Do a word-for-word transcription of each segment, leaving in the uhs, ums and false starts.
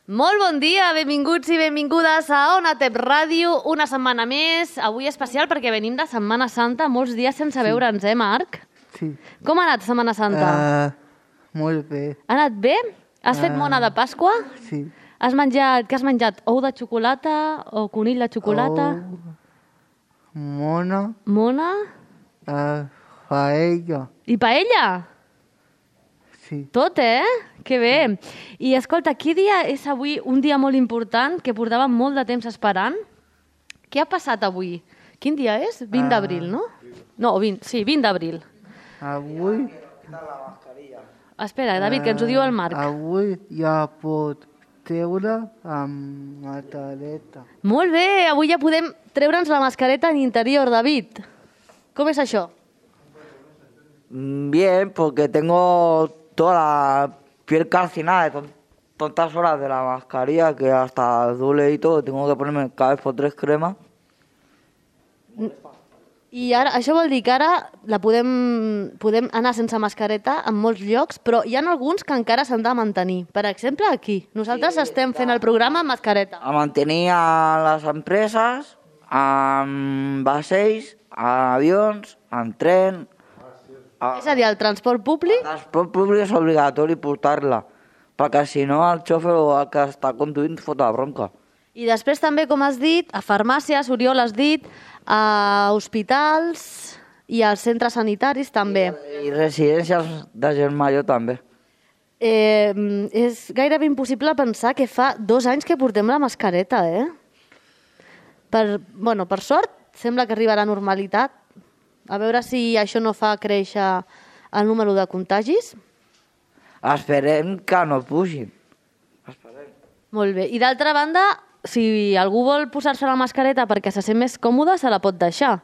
Molt bon dia, benvinguts i benvingudes a Onatep Ràdio, una setmana més, avui especial perquè venim de Setmana Santa, molts dies sense veure'ns, eh, Marc? Sí. Com ha anat Setmana Santa? Uh, molt bé. Ha anat bé? Has fet Uh, mona de Pasqua? Sí. Has menjat, què has menjat? Ou de xocolata o conill de xocolata? Ou, mona, Mona? uh, paella. I paella? Sí. Tot, eh? Que bé. I escolta, quin dia és avui un dia molt important que portàvem molt de temps esperant? Què ha passat avui? Quin dia és? vint d'abril, no? No, vint, sí, vint d'abril. Avui... Espera, David, que ens ho diu el Marc. Avui ja pot treure amb mascareta. Molt bé, avui ja podem treure'ns la mascareta en interior, David. Com és això? Bien, porque tengo toda la piel calcinada de ton- tantas horas de la mascarilla que hasta duele y todo. Tengo que ponerme cada vez por tres cremas. I ara, això vol dir que ara la podem, podem anar sense mascareta en molts llocs, però hi ha alguns que encara s'han de mantenir. Per exemple, aquí. Nosaltres sí, estem fent el programa amb mascareta. A mantenir a les empreses, amb vaixells, a avions, en tren... A... És a dir, el transport públic... El transport públic és obligatori portar-la, perquè si no el xofer o el que està conduint fot la bronca. I després també, com has dit, a farmàcies, Oriol has dit, a hospitals i als centres sanitaris també. I residències de gent major també. Eh, és gairebé impossible pensar que fa dos anys que portem la mascareta, eh? Per, bueno, per sort, sembla que arriba a la normalitat. A veure si això no fa créixer el número de contagis. Esperem que no pugin. Esperem. Molt bé. I d'altra banda, si algú vol posar-se la mascareta perquè se sent més còmode, se la pot deixar.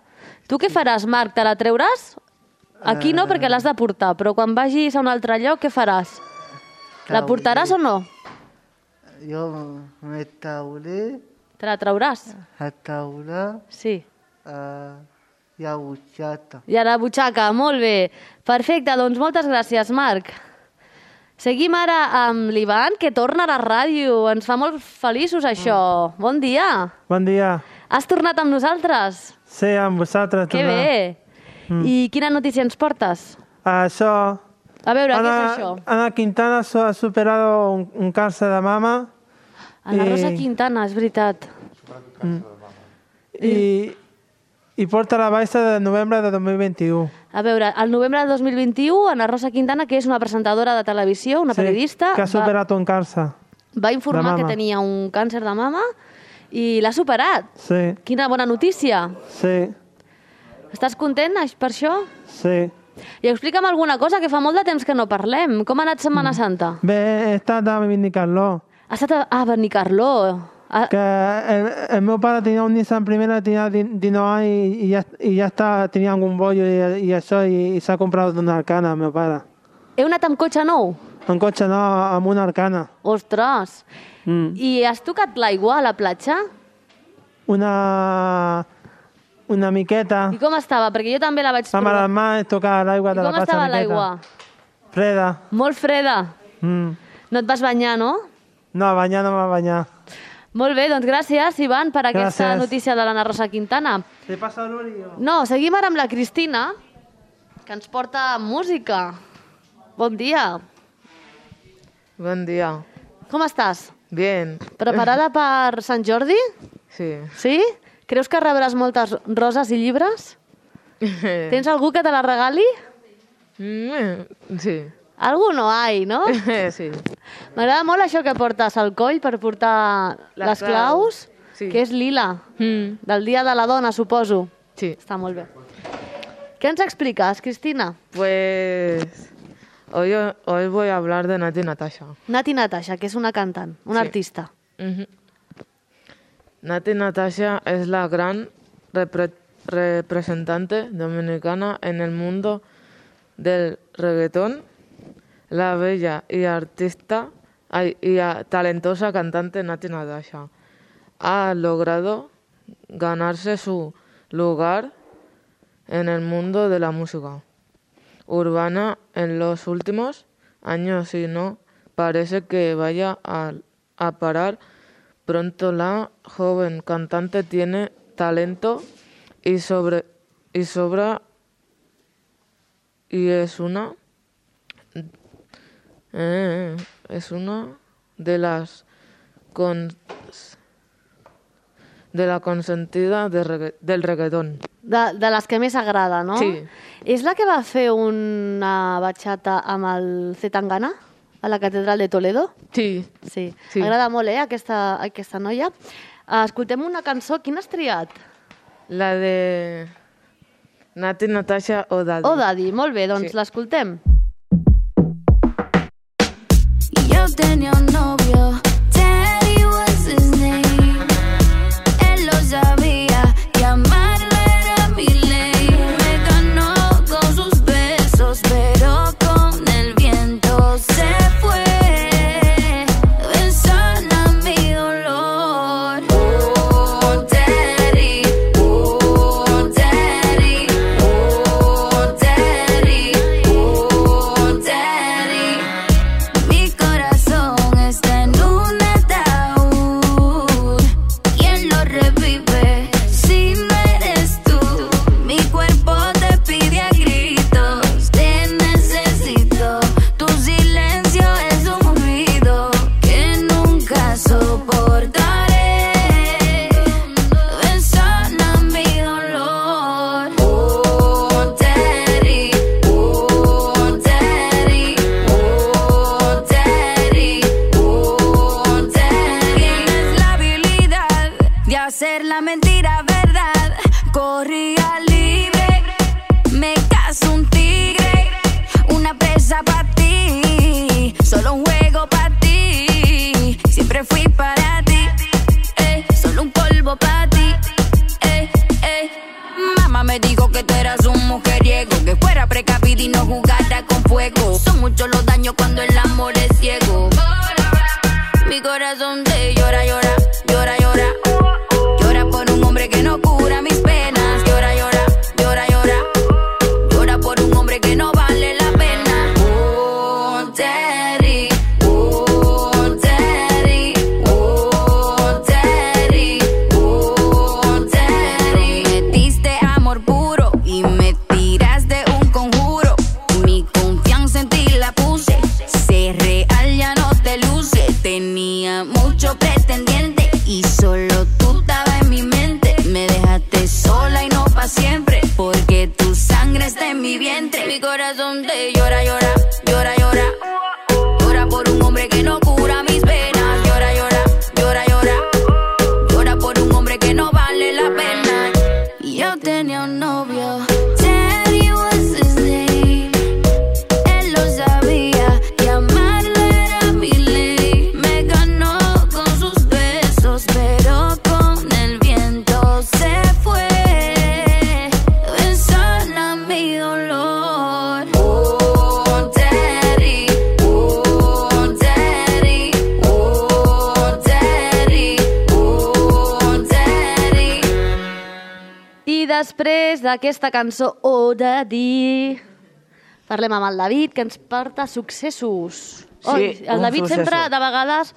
Tu què faràs, Marc? Te la treuràs? Aquí no, perquè l'has de portar, però quan vagis a un altre lloc, què faràs? La portaràs o no? Jo me trauré, Te la trauràs? a traurà Sí. uh, i a butxata. I a la butxaca, molt bé. Perfecte, doncs moltes gràcies, Marc. Seguim ara amb l'Ivan, que torna a la ràdio. Ens fa molt feliços, això. Bon dia. Bon dia. Has tornat amb nosaltres? Sí, amb vosaltres. Que tornar. bé. Mm. I quina notícia ens portes? Això... A veure, què Ana, és això? Ana Quintana so- ha superado un, un cáncer de mama. Ana i- Rosa Quintana, és veritat. I, i porta la baixa de novembre de dos mil vint-i-u. A veure, al novembre de dos mil vint-i-u, Ana Rosa Quintana, que és una presentadora de televisió, una periodista, Que ha va, superat un càncer. va informar de que mama. tenia un càncer de mama i l'ha superat. Sí, Quina bona notícia. sí, Estàs content aix- per això? sí. I explica'm alguna cosa, que fa molt de temps que no parlem. Com ha anat Setmana Santa? Bé, he estat a Benicarló. Ha estat a, a Benicarló. A, Que el, el meu pare tenia un Nissan Primera, tenia dinou anys i, i, ja, i ja està, tenia algun bollo i, i això, i, i s'ha comprat una Arcana, el meu pare. heu anat amb cotxe nou? Un cotxe no, amb una Arcana. Ostres! Mm. I has tocat l'aigua a la platja? Una, una miqueta. I com estava? Perquè jo també la vaig Amb provar. les mans tocar l'aigua I de la com platja. estava miqueta. l'aigua? Freda. Molt freda. Mm. No et vas banyar, no? No, banyar no va banyar. Molt bé, doncs gràcies, Ivan, per aquesta Gràcies. notícia de l'Anna Rosa Quintana. Te passa l'Uri? No, seguim ara amb la Cristina, que ens porta música. Bon dia. Buen día. Com estàs? Bien. Preparada per Sant Jordi? Sí. Sí? Creus que rebràs moltes roses i llibres? Tens algú que te la regali? Mm, sí. Algú no hay, no? Sí. M'agrada molt això que portes al coll per portar les, Les claus, claus, sí. que és lila, Mm, del Dia de la Dona, suposo. sí. Està molt bé. Què ens expliques, Cristina? Pues hoy, hoy voy a hablar de Nati Natasha. Nati Natasha, que és una cantant, una Sí. artista. Ujú. Nati Natasha es la gran repre- representante dominicana en el mundo del reggaetón, la bella y artista ay, y a- talentosa cantante Nati Natasha ha logrado ganarse su lugar en el mundo de la música urbana en los últimos años y no parece que vaya a a parar pronto. La joven cantante tiene talento y, sobre, y sobra y es una eh, es una de las con, de la consentida de regga, del reggaetón. De, de les que més agrada, no? Sí. És la que va fer una batxata amb el Zetangana a la catedral de Toledo? Sí. Sí. Sí. M'agrada molt, eh, aquesta, aquesta noia. Escoltem una cançó. Quina has triat? La de Nati, Natasha o Daddy. Oh, Daddy. Molt bé, doncs Sí. l'escoltem. Yo tenía un novio, Teddy was his name. Él lo sabía y amarlo era mi ley. Me ganó con sus besos, pero con el viento se fue. Besando mi dolor. Oh, Teddy, oh, Teddy, oh, Teddy, oh, Teddy. Mi corazón está en un ataúd. ¿Quién lo revive si no eres tú? Mi cuerpo te pide a gritos, te necesito. Tu silencio es un ruido que nunca soportaré. Besando mi dolor. Oh, Teddy, oh, Teddy, oh, Teddy, oh, Teddy. Tienes la habilidad de hacer la mentira verdad. Corría libre, me caso un tigre, una presa para ti, solo un juego para ti. Siempre fui para ti, eh, solo un polvo para ti, eh, eh. Mamá me dijo que tú eras un mujeriego, que fuera precavida y no jugara con fuego. Son muchos los daños cuando el amor es ciego. Mi corazón te llora, llora, llora, llora. Llora por un hombre que no cura mis penas. Llora, llora, llora, llora. Llora por un hombre que no vale la pena. Oh, Teddy, oh, Teddy, oh, Teddy, oh, Teddy. Me diste amor puro y me tiraste un conjuro. Mi confianza en ti la puse. Ser real ya no te luce. Tenía mucho pretendiente y solo tú estabas en mi mente. Me dejaste sola y no pa' siempre, porque tu sangre está en mi vientre. Mi corazón te llora, llora, llora, llora. Llora por un hombre que no cura mis penas. Llora, llora, llora, llora. Llora por un hombre que no vale la pena. Yo tenía un novio, Teddy was his name. Él lo sabía y amarlo era mi ley. Me ganó con sus besos, pero con el viento se fue. Besando mi dolor. Oh, Teddy, oh, Teddy, oh, Teddy, oh, Teddy. I després d'aquesta cançó, Oh, Daddy, parlem amb el David, que ens porta successos. Sí, Oi, el un David succeso. sempre, de vegades,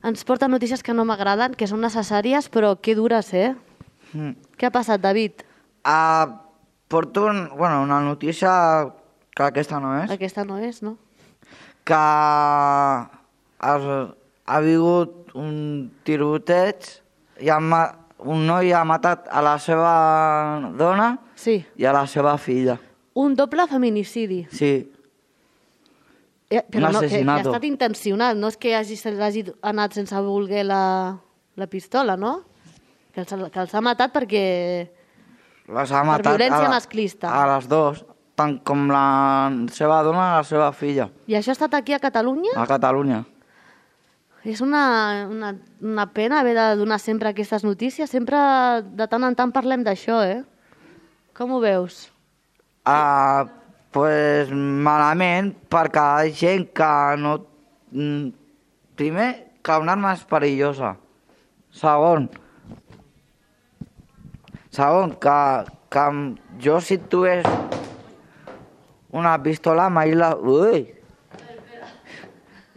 ens porta notícies que no m'agraden, que són necessàries, però que dures, eh? Mm. Què ha passat, David? Ah, porto un, bueno, una notícia que aquesta no és, Aquesta no és, no? que ha, ha vingut un tiroteig i ha, ma- un noi ha matat a la seva dona Sí. i a la seva filla. Un doble feminicidi. Sí, Eh, però Un no, que, que ha asesinato. estat intencionat, no és que hagi, se l'hagi anat sense voler la, la pistola, no? Que els, que els ha matat perquè... les ha matat violència a, la- masclista. a les dues, tant com la seva dona i la seva filla, I això ha estat aquí a Catalunya? a Catalunya. És una, una, una pena haver de donar sempre aquestes notícies. Sempre, de tant en tant, parlem d'això, eh? Com ho veus? Ah, pues malament, perquè hi ha gent que no... mm, Primer, que una arma és perillosa. Segon, segon que, que jo si tuvies una pistola mai la... Ui!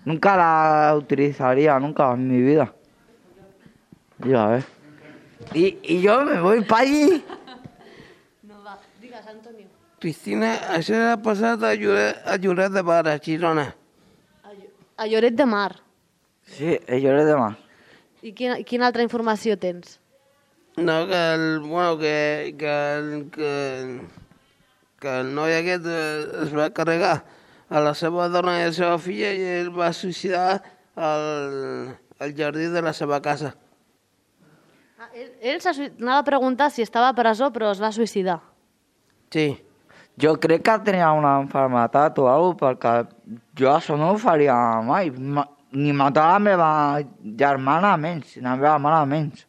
nunca la utilizaría, nunca en mi vida. Ya ves. Y, y yo me voy para allí. No va, digues, Antonio. Cristina, això ha passat a Lloret, a Lloret de Mar, a Girona. A Lloret de Mar. Sí, a Lloret de Mar. I quina, quina altra informació tens? No, que el, bueno, que, que, el, que, que el noi aquest eh, es va carregar a la seva dona i a la seva filla i ell va suïcidar al, al jardí de la seva casa. Ah, ell ell se sui- anava a preguntar si estava a presó, però es va suïcidar. Sí. Jo crec que tenia una enfermetat o alguna cosa, perquè jo això no ho faria mai. Ma, ni matar la meva germana menys, la meva mare menys.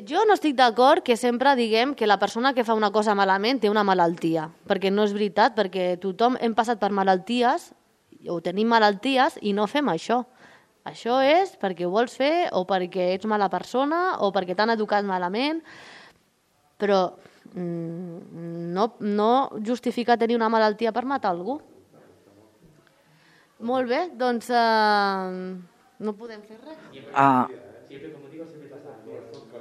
Jo no estic d'acord que sempre diguem que la persona que fa una cosa malament té una malaltia, perquè no és veritat, perquè tothom hem passat per malalties o tenim malalties i no fem això. Això és perquè ho vols fer o perquè ets mala persona o perquè t'han educat malament, però mm, no, no justifica tenir una malaltia per matar algú. Molt bé, doncs eh, no podem fer res. A,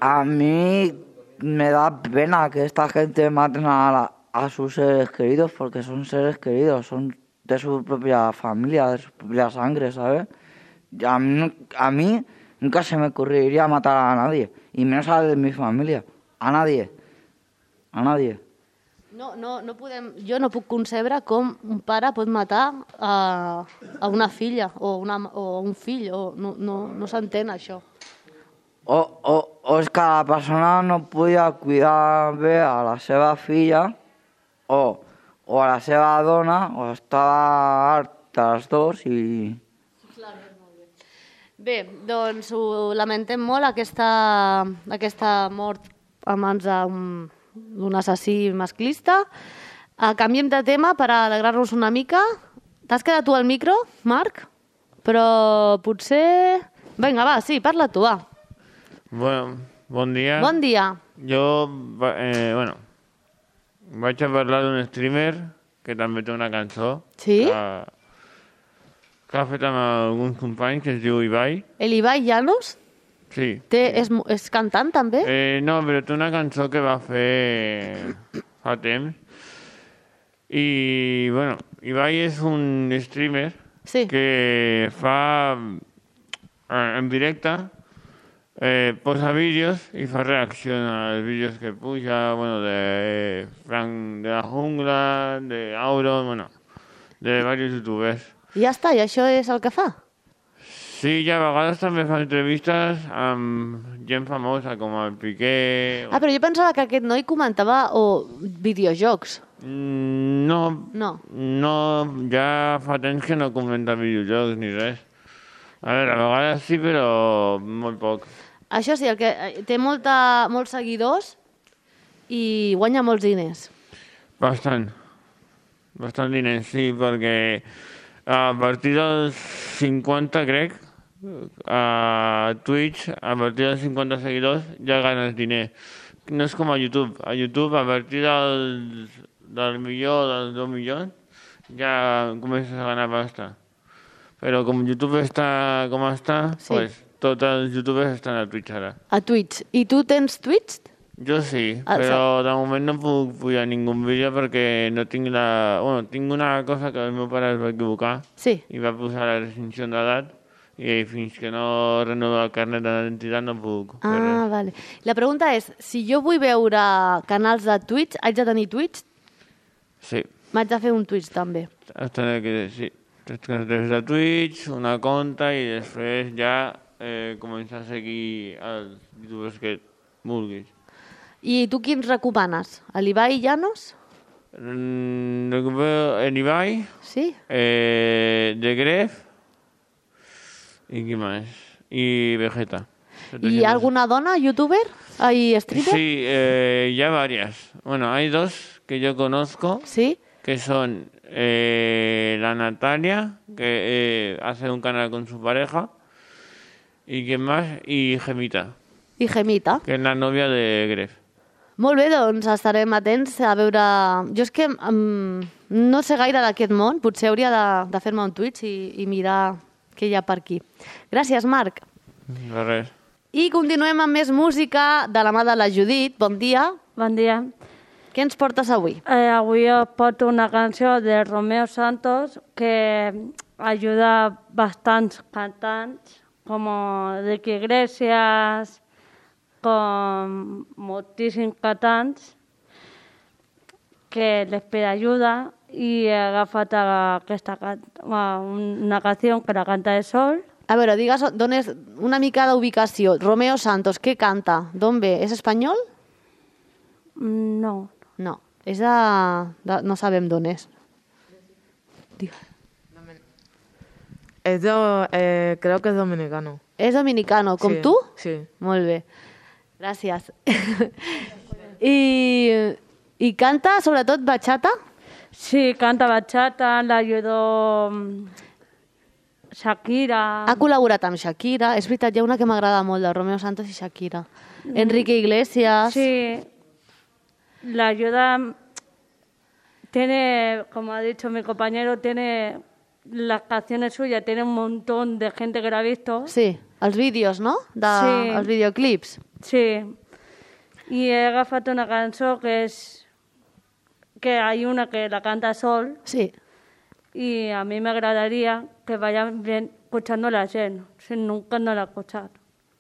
a mí me da pena que esta gente maten a, la- a sus seres queridos porque son seres queridos, son de su propia familia, de su propia sangre, ¿sabes? Y a mí, nu- a mí nunca se me ocurriría matar a nadie, y menos a de mi familia, a nadie, a nadie. No, no, no podem, jo no puc concebre com un pare pot matar a, a una filla o, una, o un fill. O, no no, no s'entén això. O, o, o és que la persona no podia cuidar bé a la seva filla o, o a la seva dona, o estava harta les dos i... Bé, doncs ho lamentem molt, aquesta, aquesta mort a mans d'un d'un assassí masclista. Uh, canviem de tema per alegrar-nos una mica. T'has quedat tu al micro, Marc? Però potser... Vinga, va, sí, parla tu, va. Bueno, bon dia. Bon dia. Jo, va- eh, bueno, vaig a parlar d'un streamer que també té una cançó Sí? que, que ha fet amb alguns companys, que es diu Ibai. El Ibai Llanos Sí. té, és, mo- és cantant, també? Eh, no, però té una cançó que va fer fa temps. I, bueno, Ibai és un streamer Sí. que fa eh, en directe, eh, posa vídeos i fa reacció als vídeos que puja, bueno, de Frank de la Jungla, de Auro, bueno, de diversos youtubers. I ja està, i això és el que fa? Sí, i a vegades també fa entrevistes amb gent famosa, com el Piqué. Ah, però jo pensava que aquest noi comentava o videojocs. Mm, No, No. no, ja fa temps que no comenta videojocs ni res. A veure, a vegades sí, però molt poc. Això sí, el que eh, té molta, molts seguidors i guanya molts diners. Bastant. Bastant diners, sí, perquè a partir dels cinquanta, crec, a Twitch, a partir dels cinquanta seguidors, ja ganes diners. No és com a YouTube. A YouTube, a partir del, del milió, dels dos milions, ja comences a ganar pasta. Però com YouTube està com està, Sí. pues, tots els youtubers estan a Twitch ara. A Twitch. I tu tens Twitch? Jo sí, Ah, però de moment no puc pujar ningú vídeo perquè no tinc la... Bueno, tinc una cosa que el meu pare es va equivocar Sí. i va posar la restricció d'edat i fins que no renova el carnet d'identitat no puc fer Ah, res. vale. La pregunta és, si jo vull veure canals de Twitch, haig de tenir Twitch? Sí, M'haig de fer un Twitch també. has de que sí. Tens que des de Twitch, una compte i després ja eh, començar a seguir els youtubers que vulguis. I tu quins recomanes? A l'Ibai Llanos? Mm, recupero el Ibai, Sí? eh, de Gref y qué más, y Vegeta. I alguna dona, youtuber? Ai, streamer? Sí, eh, ya varias. Bueno, hay dos que yo conozco, Sí? que son eh, la Natalia, que eh, hace un canal con su pareja, y quién más, y Gemita, I Gemita. que es la novia de Gref. Molt bé, doncs estarem atents a veure... Jo és que um, no sé gaire d'aquest món, potser hauria de, de fer-me un Twitch i, i mirar que hi ha per aquí. Gràcies, Marc. De res. I continuem amb més música de la mà de la Judit. Bon dia. Bon dia. Què ens portes avui? Eh, avui us porto una canció de Romeo Santos que ajuda bastants cantants, com Enrique Iglesias, com moltíssims cantants, que les pide ayuda i he agafat aquesta can- una canció que la canta el Sol. A veure, digues d'on és una mica d'ubicació. Romeo Santos, què canta? D'on ve? És espanyol? No. No, és de... de no sabem d'on és. Digue. Es do- eh, creo que es dominicano. És dominicano, com Sí, tu? sí. Molt bé. Gràcies. I, I canta sobretot bachata? Sí, canta bachata, la ayudó mm, Shakira. Ha col·laborat amb Shakira. És veritat, hi ha una que m'agrada molt, de Romeo Santos i Shakira. Enrique Iglesias. Sí, la ayuda tiene, como ha dicho mi compañero, tiene las canciones suyas, tiene un montón de gente que la ha visto. Sí, els vídeos, no? De, Sí. Els videoclips. Sí, y he agafat una canción que es que hay una que la canta Sol. Sí. Y a mí me agradaría que vayan bien escuchando la gent, si nunca no la he escuchado.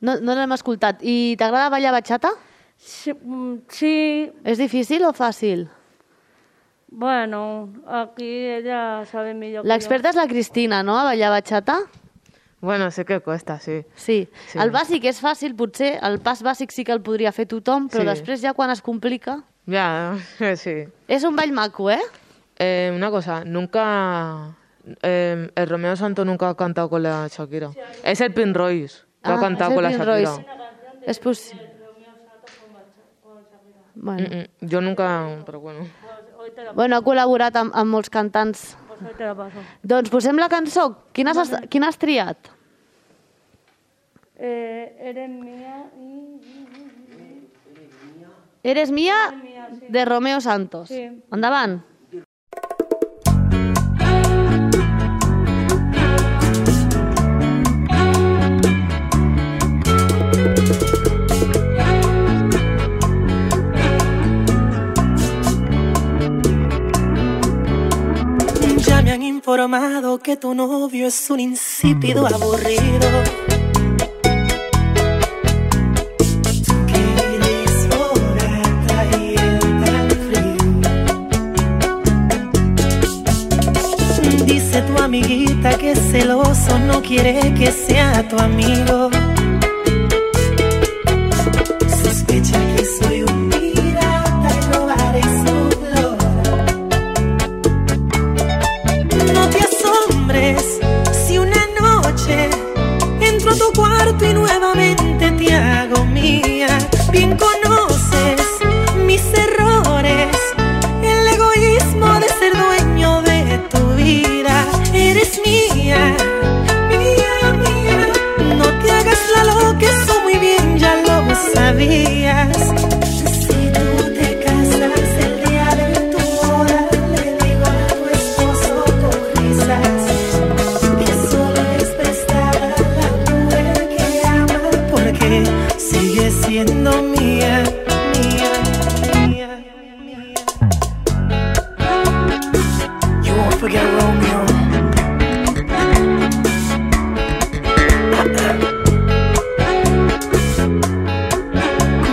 No, no l'hem escoltat. I t'agrada ballar bachata? Sí, mm, sí, És difícil o fàcil? bueno, aquí ella sabe millor que L'experta és la Cristina, no?, a ballar bachata? Bueno, sé que cuesta, sí. Sí. Sí. El bàsic és fàcil, potser. El pas bàsic sí que el podria fer tothom, però Sí. després ja quan es complica... Ya, sí. És un ball maco, eh? Eh, una cosa, nunca... eh, el Romeo Santos nunca ha cantado con la Shakira. Es el Pin Royce que ha Ah, cantado és con la el Prince Shakira. Royce. És possible. Bueno. Mm, mm, Yo nunca, pero bueno. bueno, ha col·laborat amb, amb molts cantants. Pues hoy te la paso. Doncs posem la cançó. Quina has, quina has triat? Eh, eres mía y... Eres mía, de Romeo Santos. Sí. Endavant. Ya me han informado que tu novio es un insípido aburrido. Que eres borrata y él tan frío. Dice tu amiguita que es celoso, no quiere que sea tu amigo. Sospecha que soy un pirata y robaré su flor. No te asombres si una noche entro a tu cuarto y nuevamente te hago mía. Bien conoces mis errores, el egoísmo de ser dueño de tu vida. Eres mía, mía, mía. No te hagas la loca, eso muy bien ya lo sabías. Si tú te casas el día de tu boda, le digo a tu esposo con risas que solo es prestada la mujer que ama, porque sigue siendo mía, mía, mía, mía. You won't forget Romeo.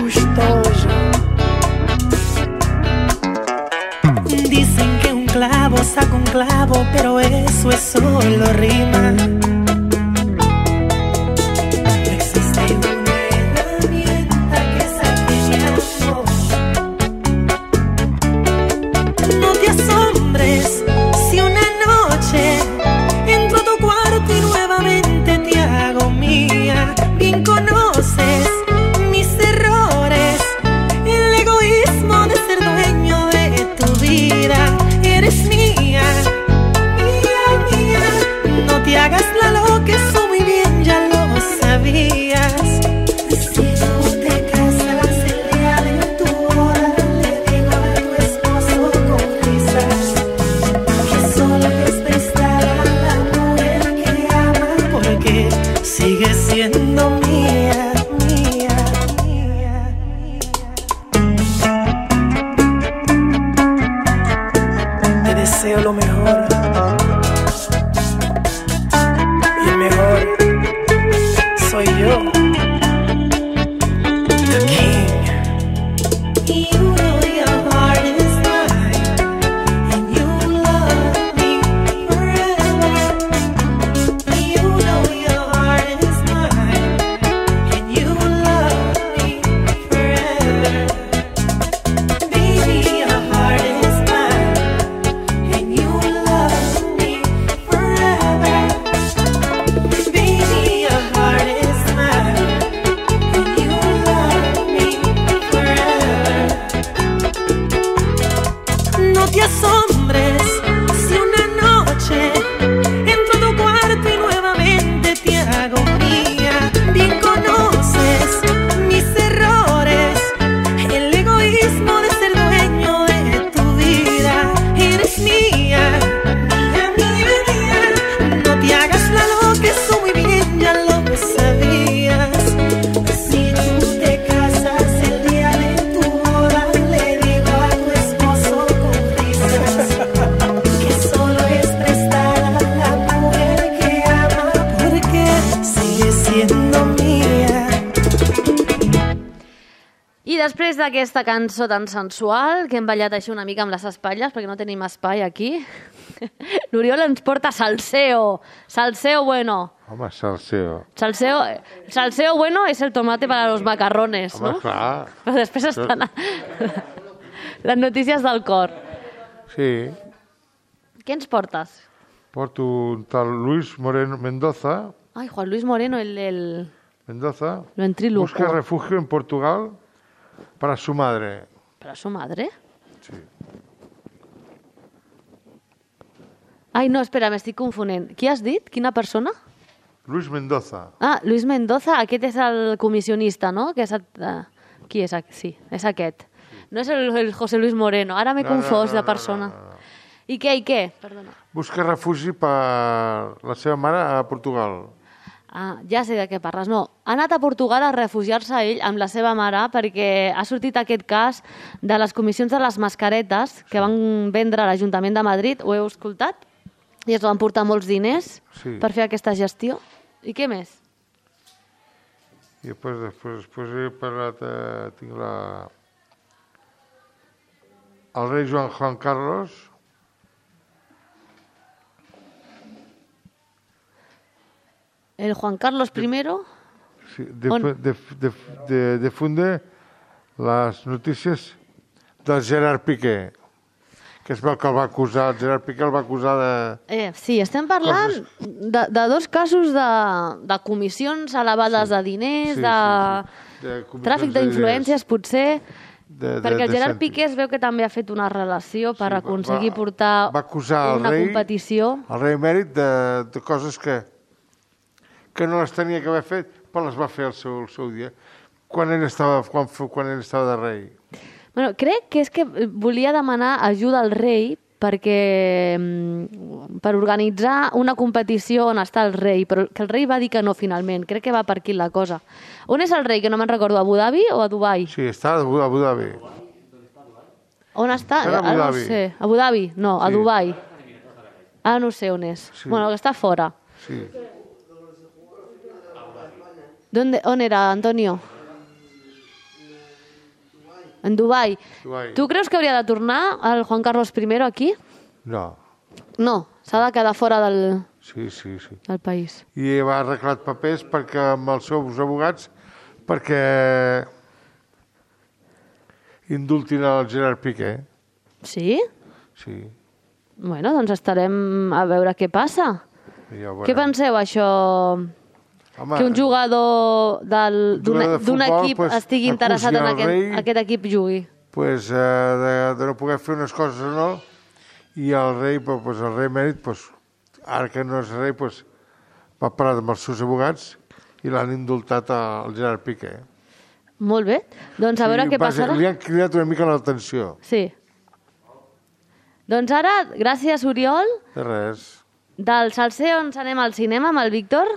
Gustoso. Dicen que un clavo saca un clavo, pero eso es solo rima. No existe una herramienta que saque mi amor. No te asombres si una noche entro a tu cuarto y nuevamente te hago mía. Bien conoces mis errores, el egoísmo de ser dueño de tu vida. Eres mía, mía, mía. No te hagas soy yo, the king. You know your heart is mine, and you love me forever. You know your heart is mine, and you love me forever. Baby, your heart is mine, and you love me forever. Baby, your heart is mine, and you love me forever. No te asombres si una noche entro a tu cuarto y nuevamente te hago mía. Bien conoces mis errores, el egoísmo de ser dueño de tu vida. Eres mía, mía, mía, mía. No te hagas la loca, eso muy bien ya lo sabías. Si tú te casas el día de tu boda, le digo a tu esposo con risas que solo es prestada la mujer que ama, porque sigue siendo mía. I després d'aquesta cançó tan sensual, que hem ballat així una mica amb les espatlles, perquè no tenim espai aquí, l'Oriol ens porta salseo. Salseo bueno. Home, salseo. Salseo, salseo bueno es el tomate para los macarrones, Home, no? clar. Però després estan les notícies del cor. Sí. Què ens portes? Porto un tal Luis Moreno Mendoza. Ai, Juan Luis Moreno, el del... Mendoza. Lo ventrílocuo. Busca refugio en Portugal para su madre. ¿Para su madre? Sí. Ai, no, espera, m'estic confonent. Qui has dit? Quina persona? Luis Mendoza. Ah, Luis Mendoza, aquest és el comissionista, no? Que és el... uh, qui és? Aqu- Sí, és aquest. No és el, el José Luis Moreno. Ara m'he No, no, confós no, de no, persona. no, no. I què, i què? Perdona. Busca refugi per la seva mare a Portugal. Ah, ja sé de què parles. No, ha anat a Portugal a refugiar-se ell amb la seva mare perquè ha sortit aquest cas de les comissions de les mascaretes que van vendre a l'Ajuntament de Madrid. Ho heu escoltat? I es van portar molts diners Sí. per fer aquesta gestió. I què més? I després, després, després he parlat, eh, tinc la... el rei Joan Juan Carlos. El Juan Carlos primero. Sí, de, On? de, de, de, difunde les notícies del Gerard Piqué, que es veu que el va acusar, el Gerard Piqué el va acusar de... Eh, sí, estem parlant de, de dos casos de, de comissions elevades sí. de diners, Sí, de, sí, sí. De comissions tràfic de d'influències, potser, De, de, perquè el de Gerard cèntims. Piqué es veu que també ha fet una relació per Sí, va- aconseguir va- portar va acusar el una rei- competició. El rei emèrit de, de coses que, que no les tenia que haver fet, però les va fer al seu, al seu dia, quan ell estava, quan, f- quan ell estava de rei. Bueno, crec que és que volia demanar ajuda al rei perquè mm, per organitzar una competició on està el rei, però que el rei va dir que no finalment. Crec que va per aquí la cosa. On és el rei, que no me'n recordo, a Abu Dhabi o a Dubai? Sí, està a Abu Abu Dhabi. On està? Està a Abu Ah, no Dhabi. sé. Abu Dhabi? No, a Sí. Dubai. Ah, no sé on és. Sí. Bueno, que està fora. Sí. ¿Dónde, on era, Antonio? En Dubai. Dubai. Tu creus que hauria de tornar el Juan Carlos I aquí? No. No, s'ha de quedar fora del, Sí, sí, sí. del país. I va arreglar papers perquè amb els seus abogats perquè indultin el Gerard Piqué. Sí? Sí. Bueno, doncs estarem a veure què passa. Ja ho Què veurem. penseu, això? Home, Que un jugador del- un d'un jugador de d'un futbol, equip pues, estigui interessat en acusi al aquest, rei. aquest equip jugui. pues, eh, de, de no poder fer unes coses o no, i el rei, pues, pues, el rei mèrit, pues, ara que no és rei, pues, va parlar amb els seus abogats i l'han indultat al Gerard Piqué. Molt bé. Doncs a veure Sí, què va- passarà. Li han cridat una mica l'atenció. Sí. Doncs ara, gràcies, Oriol. De res. Del Salseo ens anem al cinema amb el Víctor.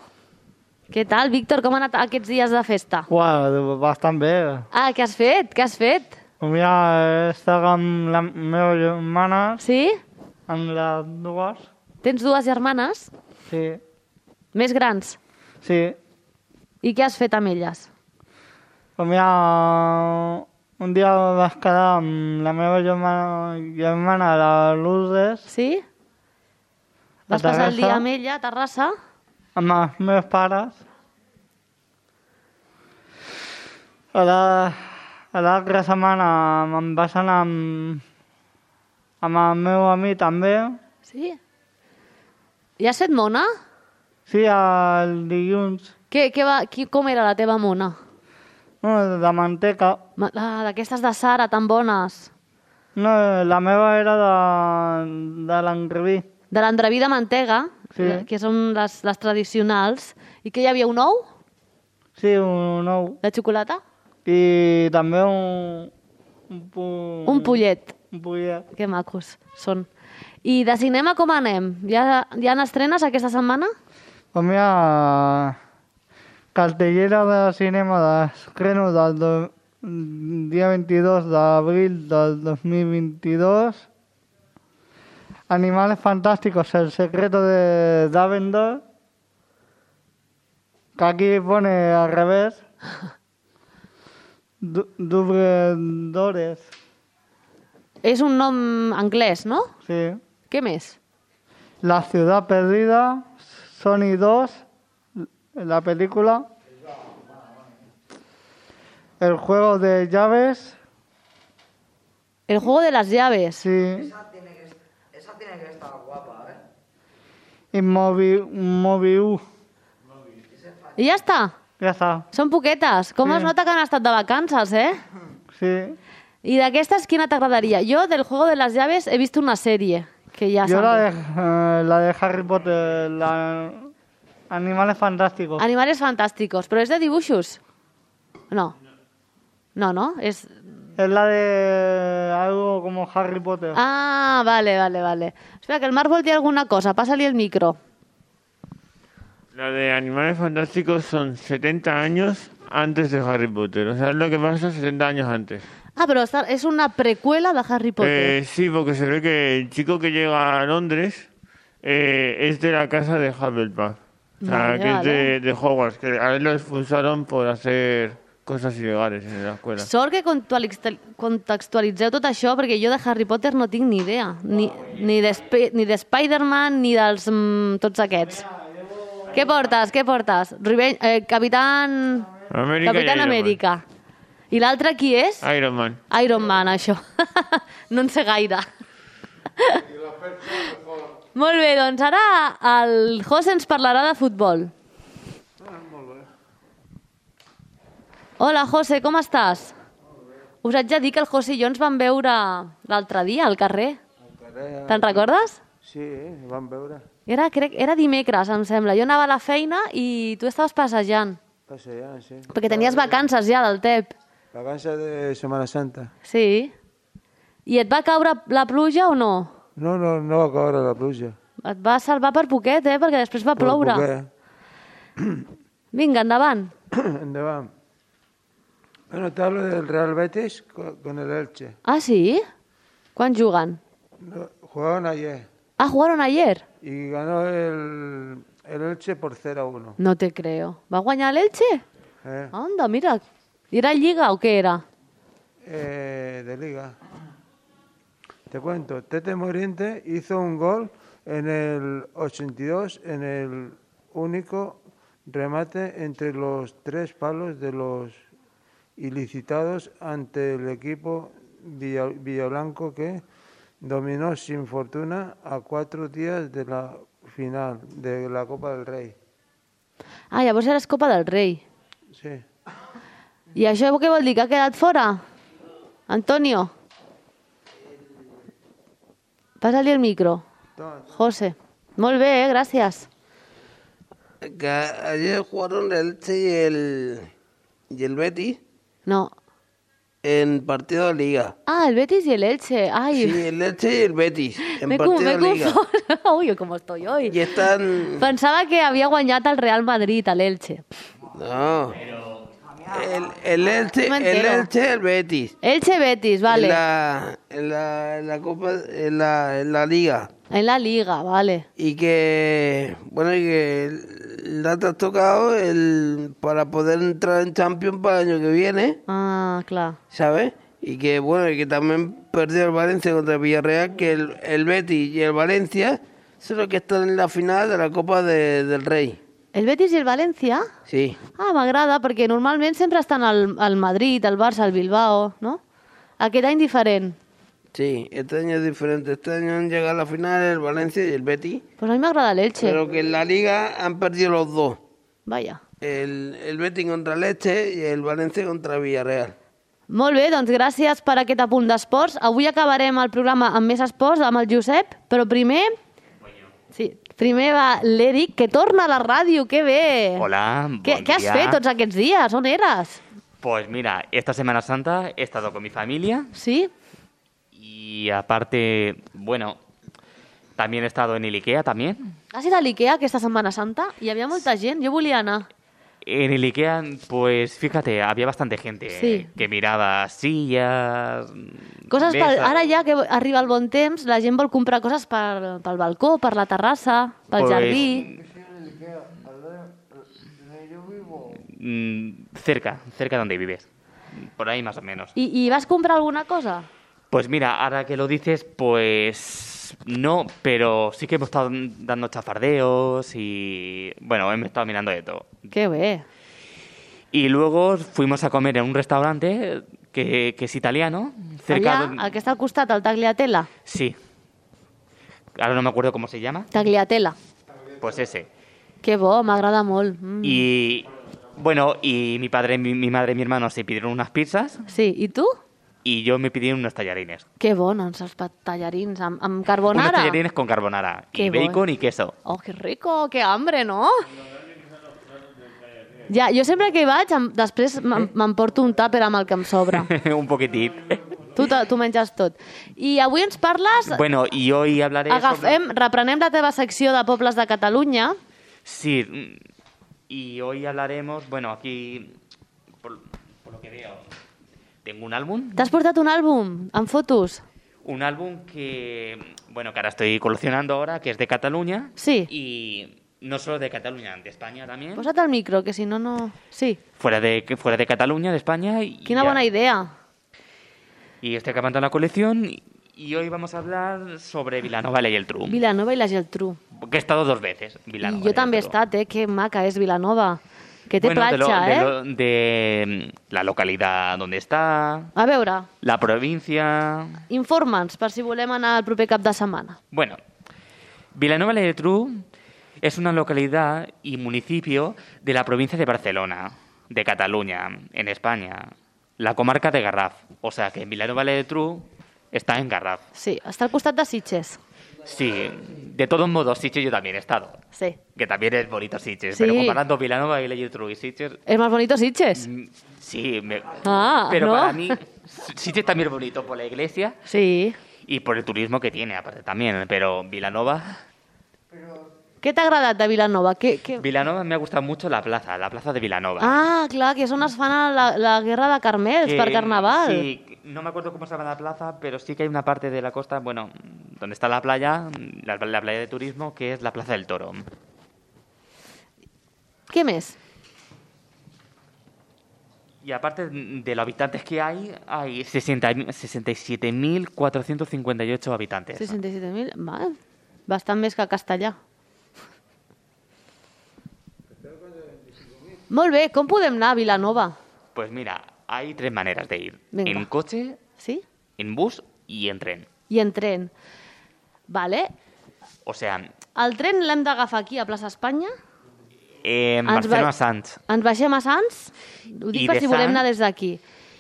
Què tal, Víctor? Com han anat aquests dies de festa? Uau, bastant bé. Ah, què has fet? Què has fet? Mira, he estat amb la meva germana. Sí? Amb les dues. Tens dues germanes? Sí. Més grans? Sí. I què has fet amb elles? Pues mira, un dia vas quedar amb la meva germana, germana la Lourdes. Sí? Vas a passar el dia Terrassa, amb ella a Terrassa? amb els meus pares. A la- a l'altra setmana me'n vas anar amb, amb el meu amic també. Sí? I has fet mona? Sí, el dilluns. Què, què va, qui, com era la teva mona? No, de manteca. Ma- Ah, d'aquestes de Sara, tan bones. No, la meva era de, de l'engreví. De l'endreví de mantega, Sí. eh, que són les, les tradicionals. I que hi havia un ou Sí, un ou. de xocolata? I també un... Un, pu... Un pollet. Un pollet. Que macos són. I de cinema com anem? Ja, ja han estrenes aquesta setmana? Pues mira, cartellera de cinema d'estreno del do, dia veintidós d'abril del dos mil veintidós. Animales Fantásticos, El secreto de Dumbledore. Que aquí pone al revés. Du- Dubredores. És un nom anglès, no? Sí. Què més? La ciudad perdida, Sony dos, la película. El juego de llaves. El juego de las llaves. Sí. Esa tiene que, esa tiene que estar guapa, ¿eh? Y Mobi, Mobiu. I ja està? Ja està. Són poquetes. Com Sí. es nota que han estat de vacances, eh? Sí. I d'aquestes, quina t'agradaria? Jo, del juego de las llaves, he vist una sèrie, que ja Yo la de, sabia. eh, la de Harry Potter, la Animales Fantásticos. Animales fantàsticos. Però és de dibuixos? No. No, no? És... Es la de algo como Harry Potter. Ah, vale, vale, vale. Espera, que el Marc vol dir alguna cosa. Pásale el micro. La de Animales Fantásticos son setenta años antes de Harry Potter. O sea, es lo que pasa setenta años antes. Ah, però està, és una precuela de Harry Potter. Eh, sí, porque se ve que el chico que llega a Londres eh, es de la casa de Hufflepuff. O sea, Vale, que vale. es de, de Hogwarts, que a él lo expulsaron por hacer cosas ilegales en la escuela. Sort que contextuali- contextualitzeu tot això, perquè jo de Harry Potter no tinc ni idea. Ni, ni de, Sp- ni de Spider-Man, ni dels mm, tots aquests. Què portes? Què portes? Ribe eh, Capitán... Amèrica i Capitán Iron Man. Amèrica. I l'altre qui és? Iron Man. Iron Man, això. No en sé gaire. Molt bé, doncs ara el José ens parlarà de futbol. Hola, José, com estàs? Us haig de dir que el José i jo ens vam veure l'altre dia al carrer. Te'n recordes? Sí, vam veure. Era, crec, era dimecres, em sembla. Jo anava a la feina i tu estaves passejant. Passejant, sí. Perquè tenies vacances ja del T E P. Vacances de Setmana Santa. Sí. I et va caure la pluja o no? No, no, no va caure la pluja. Et va salvar per poquet, eh? Perquè després va ploure. Perquè... Vinga, endavant. Endavant. Bueno, te hablo del Real Betis con, con el Elche. Ah, sí? Quan juguen? No, jugaron ayer Ah, jugaron ayer. y ganó el, el Elche por cero a uno. No te creo. Va guanyar l'Elche? Eh, Anda, mira. ¿Era Lliga o què era? eh, de liga. Te cuento, Tete Moriente hizo un gol en el ochenta y dos en el único remate entre los tres palos de los ilicitados ante el equipo Villa- Villablanco que dominó sin fortuna a cuatro días de la final de la Copa del Rey. Ah, llavors eres Copa del Rei. Sí. I això què vol dir? Que ha quedat fora? Antonio? Passa-li el micro. José. Molt bé, eh? Gràcies. Que ayer jugaron el Elche y el, y el Betis No. en partido de liga. Ah, el Betis y el Elche. Ay, Sí, el Elche y el Betis en me, cu- partido me de liga. confono. Uy, com estoy hoy. Y están... Pensava que havia guanyat el Real Madrid, a l'Elche. No. El, el Elche, Me el entero. Elche, el Betis. Elche-Betis, vale. En la, en la, en la Copa, en la, en la Liga. En la Liga, vale. Y que, bueno, y que la te has tocado el, para poder entrar en Champions para el año que viene, Ah, clar. ¿sabes? Y que, bueno, y que también perdió el Valencia contra el Villarreal, que el, el Betis y el Valencia son los que están en la final de la Copa de, del Rei. El Betis i el València? Sí. Ah, m'agrada, perquè normalment sempre estan al, al Madrid, al Barça, al Bilbao, no? Aquest any diferent. Sí, este año es diferente. Este año han llegado a la final el Valencia y el Betis. Pues a mí m'agrada l'Elche. Pero que en la Liga han perdido los dos. Vaya. El, el Betis contra el Elche y el Valencia contra el Villarreal. Molt bé, doncs gràcies per aquest apunt d'esports. Avui acabarem el programa amb més esports, amb el Josep, però primer... Sí, primer va l'Eric, que torna a la ràdio, que bé! Hola, bon ¿Qué, ¿Qué has día. fet tots aquests dies? On eres? Pues mira, esta Semana Santa he estado con mi familia. Sí. Y aparte, bueno, también he estado en el IKEA también. Has ido a l'IKEA aquesta Setmana Santa? Hi havia molta gent, jo volia anar. En el IKEA, pues fíjate, había bastante gente Sí. que miraba sillas, Coses pel, mesas. ara ja que arriba el bon temps, la gent vol comprar coses per, pel balcó, per la terrassa, pel Pues- jardí. Mm, cerca, cerca donde vives. Por ahí más o menos. I, I vas comprar alguna cosa? Pues mira, ahora que lo dices, pues no, pero sí que hemos estado dando chafardeos y bueno, hemos estado mirando de todo. Que bé. Y luego fuimos a comer en un restaurante que, que es italiano, cerca Allà, de... el que està al costat, el Tagliatella. Sí. Ahora no me acuerdo cómo se llama. Tagliatella. Pues ese. Que bo, m'agrada molt. Mm. Y bueno, y mi padre, mi, mi madre y mi hermano se pidieron unas pizzas Sí, i tu? y yo me pidieron unos tallarines. Que bons, els pa- tallarins amb, amb Unos carbonara. tallarines con carbonara Qué y bueno. bacon y queso. Oh, que rico, que hambre, no? Ja, jo sempre que hi vaig, em, després m'em- m'emporto un tàper amb el que em sobra. Un poquitín. Tu, te- tu menges tot. I avui ens parles... Bueno, y hoy hablaré sobre... Agafem, reprenem la teva secció de pobles de Catalunya. Sí, mm, y hoy hablaremos, bueno, aquí, por, por lo que veo, tengo un álbum. T'has portat un àlbum amb fotos? Un álbum que, bueno, que ahora estoy coleccionando ahora, que es de Cataluña. Sí. Y no solo de Cataluña, de España también. Posa't el micro, que si no, no... Sí, Fuera de, que fuera de Cataluña, de España. Y, quina ya- bona idea. Y estoy acabando la colección y, y hoy vamos a hablar sobre Vilanova y el Trum. Vilanova i la Geltrú. Que he estado dos veces, I Vilanova. jo també he Geltrú. estat, eh? Que maca és Vilanova. Que té Bueno, de, lo- platja, de eh? lo- de mm, la localidad donde está, A veure, la provincia. informa'ns per si volem anar el proper cap de setmana. Bueno, Vilanova y Geltrú es una localidad y municipio de la provincia de Barcelona, de Cataluña, en España, la comarca de Garraf. O sea que Vilanova y Geltrú está en Garraf. Sí, està al costat de Sitges. Sí, de todos modos, Sitges yo también he estado. Sí. Que también es bonito Sitges, Sí. pero comparando Vilanova y Geltrú y Sitges, És més bonito Sitges? sí, me- Ah, pero ¿no? para mí Sitges también es bonito por la iglesia Sí. y por el turismo que tiene, aparte también, pero Vilanova... Què t'ha agradat de Vilanova? Què, què... Vilanova me ha gustado mucho la plaza, la plaza de Vilanova. Ah, clar, que és on es fan la, la guerra de Carmels Que- per Carnaval. Sí, no me acuerdo cómo se llama la plaza, pero sí que hay una parte de la costa, bueno, donde está la playa, la, la playa de turismo, que es la Plaza del Toro. Què més? Y aparte de los habitantes que hay, hay sesenta sesenta y siete mil cuatrocientos cincuenta y ocho habitantes. seixanta-set mil? Val. Bastant més que a Castellà. Molt bé, com podem anar a Vilanova? Pues mira, hay tres maneras de ir. Venga. En coche, Sí? en bus y en tren. I en tren. Vale. O sea, El tren l'hem d'agafar aquí, a plaça Espanya? en Ens Barcelona va- Sants. Ens baixem a Sants? Ho dic I per de si volem Sants- anar des d'aquí.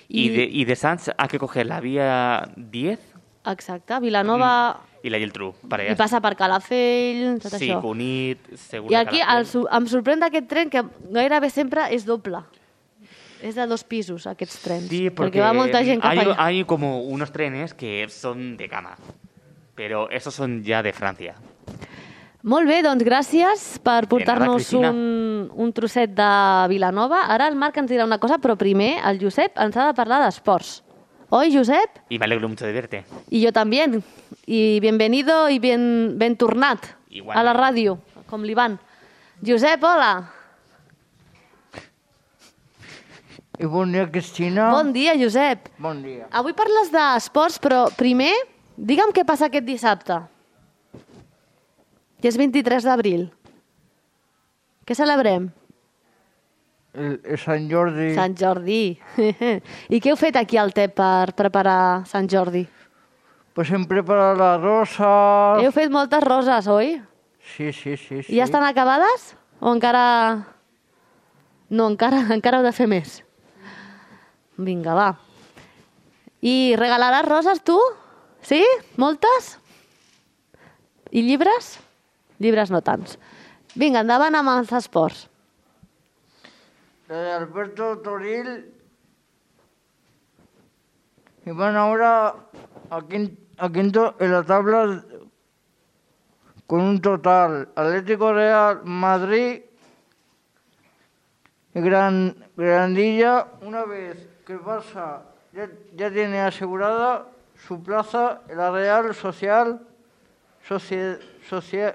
Y, de, y de Sants hay que coger la vía diez Exacte, Vilanova... y la Geltrú. Para I allá. passa per Calafell, tot Sí, això. Cunit, Segur I de aquí Calafell. el, su- em sorprèn d'aquest tren que gairebé sempre és doble. És de dos pisos, aquests trens. Sí, porque perquè va molta gent cap hay, allà. hay como unos trenes que son de cama, pero esos son ya de Francia. Molt bé, doncs gràcies per portar-nos Cristina. un, un trosset de Vilanova. Ara el Marc ens dirà una cosa, però primer el Josep ens ha de parlar d'esports. Oi, Josep? Y me alegro mucho de verte. I jo també. I bienvenido i ben, ben tornat Igual. a la ràdio, com l'Ivan. Josep, hola. I bon dia, Cristina. Bon dia, Josep. Bon dia. Avui parles d'esports, però primer, digue'm què passa aquest dissabte. Que és vint-i-tres d'abril. Què celebrem? El, el Sant Jordi. Sant Jordi. I què heu fet aquí al T E P per preparar Sant Jordi? Pues hem preparat la rosa. Heu fet moltes roses, oi? Sí, sí, sí. sí. I ja estan acabades? O encara... No, encara, encara heu de fer més. Vinga, va. I regalaràs roses, tu? Sí? Moltes? I llibres? Llibres no tants. Vinga, endavant amb els esports. De Alberto Toril y van ahora a, quin- a quinto en la tabla con un total Atlético Real Madrid y Gran, Granadilla, una vez que el Barça ya, ya tiene asegurada su plaza en la Real Social Socie- Socie-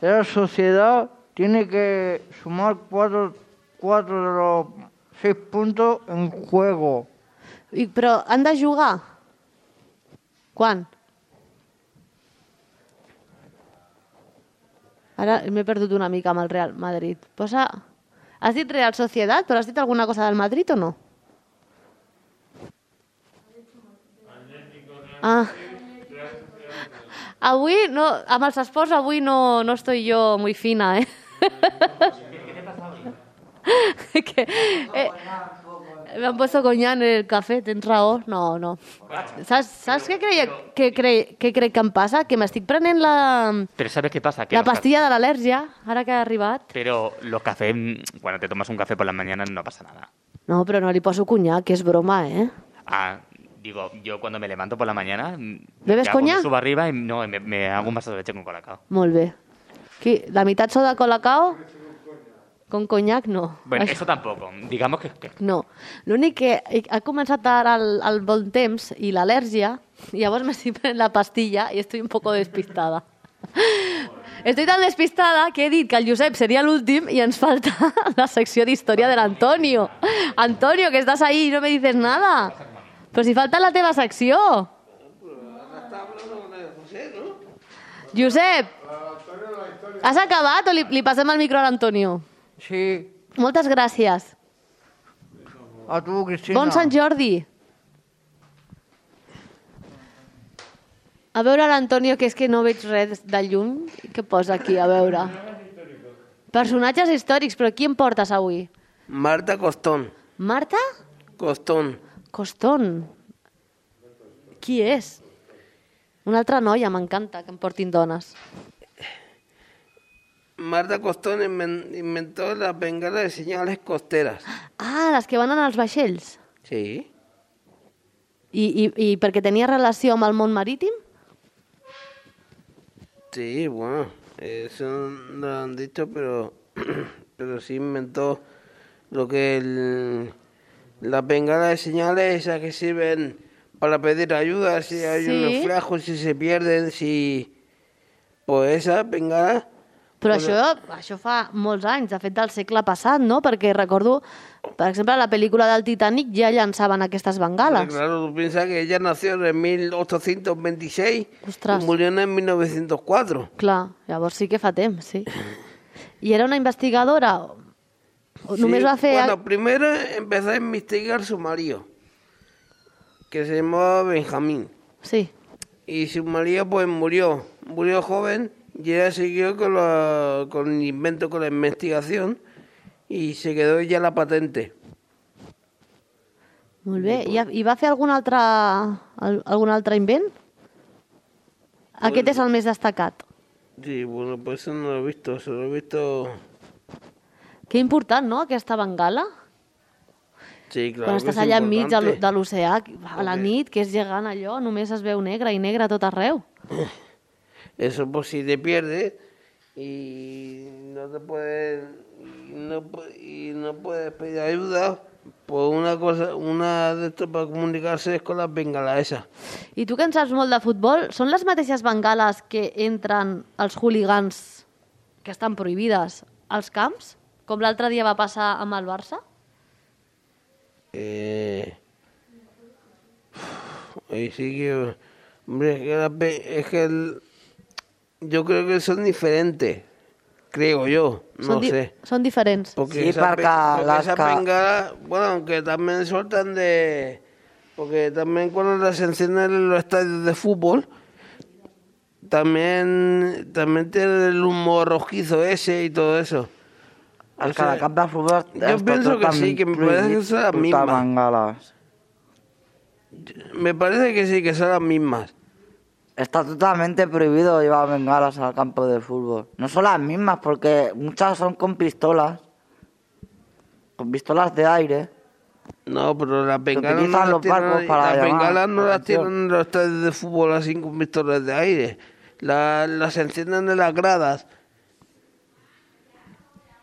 Real Sociedad tiene que sumar cuatro cuatro de los seis puntos en juego. I, però han de jugar? Quan? Ara m'he perdut una mica amb el Real Madrid. Posa... Has dit Real Sociedad, però has dit alguna cosa del Madrid o no? Ah. Avui, no, amb els esports, avui no, no estoy yo muy fina, eh? que, eh, me han puesto coñac en el café, tens raó. No, no. Saps, saps què, creia, què, cre, què crec que em passa? Que m'estic prenent la, Pero ¿sabes qué pasa? Que la los ca- pastilla de l'al·lèrgia, ara que ha arribat. Pero los cafés, cuando te tomas un café por las mañanas no pasa nada. No, però no li poso conyac, que és broma, eh? Ah, digo, yo cuando me levanto por la mañana... ¿Bebes me hago- coñac? Me subo arriba y no, me, me hago un vaso de leche con colacao. Molt bé. Qui, la meitat sou de Colacao? Con conyac, no. Bueno, Això- eso tampoco. Digamos que... que- No. L'únic que ha començat ara el, el bon temps i l'al·lèrgia, i llavors m'estic prenent la pastilla i estoy un poco despistada. Estoy tan despistada que he dit que el Josep seria l'últim i ens falta la secció d'història de l'Antonio. Antonio, que estàs ahí i no me dices nada. Però si falta la teva secció. Josep, has acabat o li, li passem el micro a l'Antonio? Sí. Moltes gràcies. A tu, Cristina. Bon Sant Jordi. A veure l'Antonio, que és que no veig res de llum. Què posa aquí, a veure? Personatges històrics, però qui em portes avui? Marta Costón. Marta? Costón. Costón. Qui és? Una altra noia, m'encanta que em portin dones. Marta Costón inven- inventó las bengalas de señales costeras. Ah, les que van en els vaixells. Sí. I, i, i perquè tenia relació amb el món marítim? Sí, bueno, eso no lo han dicho, pero, pero sí inventó lo que el, las bengalas de señales, esas que sirven para pedir ayuda, si hay Sí. un naufragio, si se pierden, si... Pues esas bengalas... Però pues, això, això fa molts anys, de fet del segle passat, no? Perquè recordo, per exemple, a la pel·lícula del Titanic ja llançaven aquestes bengales. Claro, tú piensas que ella nació en mil ochocientos veintiséis Ostras. y murió en mil novecientos cuatro. Clar, llavors sí que fa temps, sí. I era una investigadora? O només Sí, va fer... Bueno, primero empezó a investigar su marido, que se llamaba Benjamín. Sí. Y su marido pues murió, murió joven y ella siguió con, la, con el invento, con la investigación y se quedó ella la patente. Molt bé. I, I va fer algun altre, al- algun altre invent? Aquest és el més destacat. Sí, bueno, pues eso no lo he visto, se lo he visto... Que important, no?, aquesta bengala. Sí, claro. Quan que estàs es allà enmig de l'o- importante. de l'oceà, a la nit, que és gegant allò, només es veu negre i negre a tot arreu. Eso pues si te pierdes y no te puedes y no, pu- y no puedes pedir ayuda, pues una cosa, una de estas para comunicarse es con las bengalas esas. I tu que en saps molt de futbol, són les mateixes bengales que entren els hooligans, que estan prohibides, als camps? Com l'altre dia va passar amb el Barça? Eh... Ahí sí que... Hombre, es que, la pe- es que el- yo creo que son diferentes. Creo yo, no Són, di sé. són diferents. Porque Sí, esa, porque pe- porque las esa ca- bengala, bueno, aunque también sueltan de... Porque también cuando las encienden en los estadios de fútbol, también, también tienen el humo rojizo ese y todo eso. El O sea, cada camp de futbol... yo pienso que sí, que me parece que son las mismas. Bengalas. Me parece que sí, que son las mismas. Está totalmente prohibido llevar bengalas al campo de fútbol. No son las mismas, porque muchas son con pistolas. Con pistolas de aire. No, pero las bengalas no utilizan las los barcos tienen, para las llamar bengalas no la las atención. tienen en los estadios de fútbol así con pistolas de aire. La- las encienden en las gradas.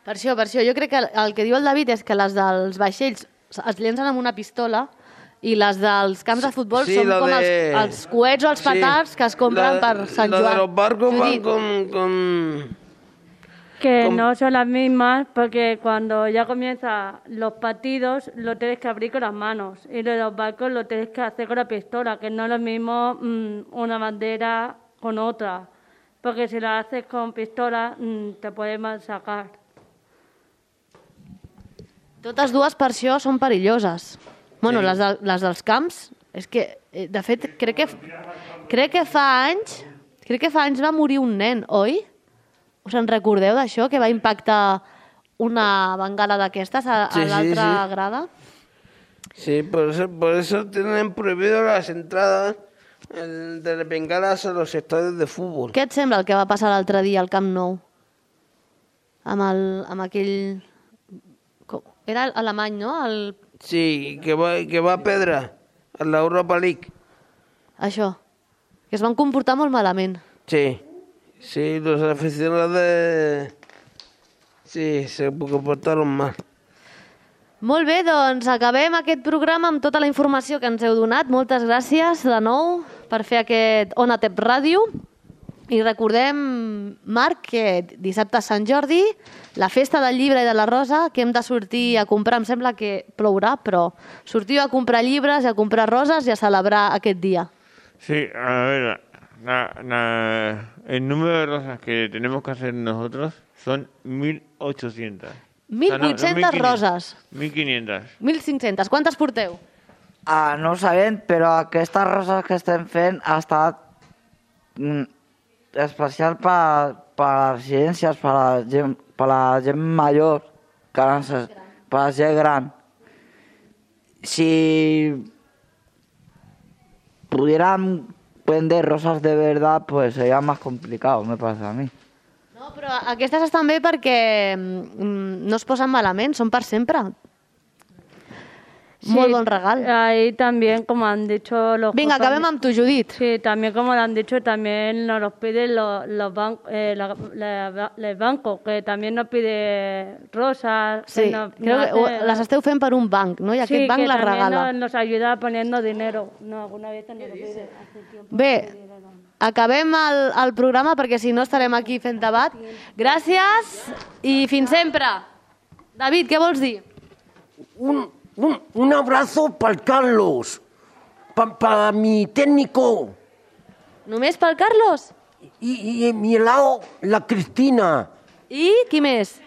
Per això, per això, jo crec que el que diu el David és que les dels vaixells es llencen amb una pistola i les dels camps de futbol sí, són lo com de- els, els coets o els sí, petards que es compren la- per Sant la Joan. de los barcos van Judit. con... con... Que Com- no son las mismas porque cuando ya comienzan los partidos lo tienes que abrir con las manos y lo de los barcos lo tienes que hacer con la pistola, que no es lo mismo mm, una bandera con otra, porque si la haces con pistola mm, te pueden sacar. Totes dues per això són perilloses. Bueno, Sí. les, de, les dels camps, és que, eh, de fet, crec que, crec que fa anys, crec que fa anys va morir un nen, oi? Us en recordeu d'això, que va impactar una bengala d'aquestes a, a Sí, sí, l'altra sí. grada? Sí, por eso, por eso tienen prohibido las entradas el, de bengalas a los estadios de fútbol. Què et sembla el que va passar l'altre dia al Camp Nou? Amb, el, amb aquell... com- Era alemany, no? El... Sí, que va, que va a Pedra, a la Europa League. Això. Que es van comportar molt malament. Sí, sí, los aficionados de... Sí, se comportaron mal. Molt bé, doncs acabem aquest programa amb tota la informació que ens heu donat. Moltes gràcies de nou per fer aquest Ona Tep Ràdio. I recordem, Marc, que dissabte a Sant Jordi, la festa del llibre i de la rosa, que hem de sortir a comprar, em sembla que plourà, però sortiu a comprar llibres, a comprar roses i a celebrar aquest dia. Sí, a ver, la- la- el número de rosas que tenemos que hacer nosotros son mil ochocientas. mil vuit-centes roses. mil quinientas. mil cinc-centes. Quantes porteu? Ah, no ho sabem, però aquestes roses que estem fent ha estat mm, especial per, per les residències, per la gent, per la gent major, que no sé, per la gent gran. Si pudieran vender rosas de verdad, pues sería más complicado, me parece a mí. No, però aquestes estan bé perquè mm, no es posen malament, són per sempre. Sí, Molt bon regal. Ahí también, como han dicho los... Vinga, compañe- acabem amb tu, Judit. Sí, también como lo han dicho, también nos los piden los, los bancos, eh, la- la- el banco, que también nos pide rosas. que Sí, nos- creo nos que ho- hace- les esteu fent per un banc, no? I Sí, aquest banc que les también regala. Nos, nos ayuda poniendo dinero. No, alguna vez nos lo pide. Hace tiempo. Bé, acabem el, el programa perquè si no estarem aquí fent debat. Gràcies i fins sempre. David, què vols dir? Un, un, un abrazo para Carlos, para mi técnico. Només pel Carlos? Y, y a mi lado, la Cristina. ¿Y qui més?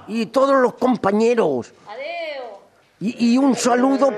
Y todos los compañeros. Adeu. Y, y un saludo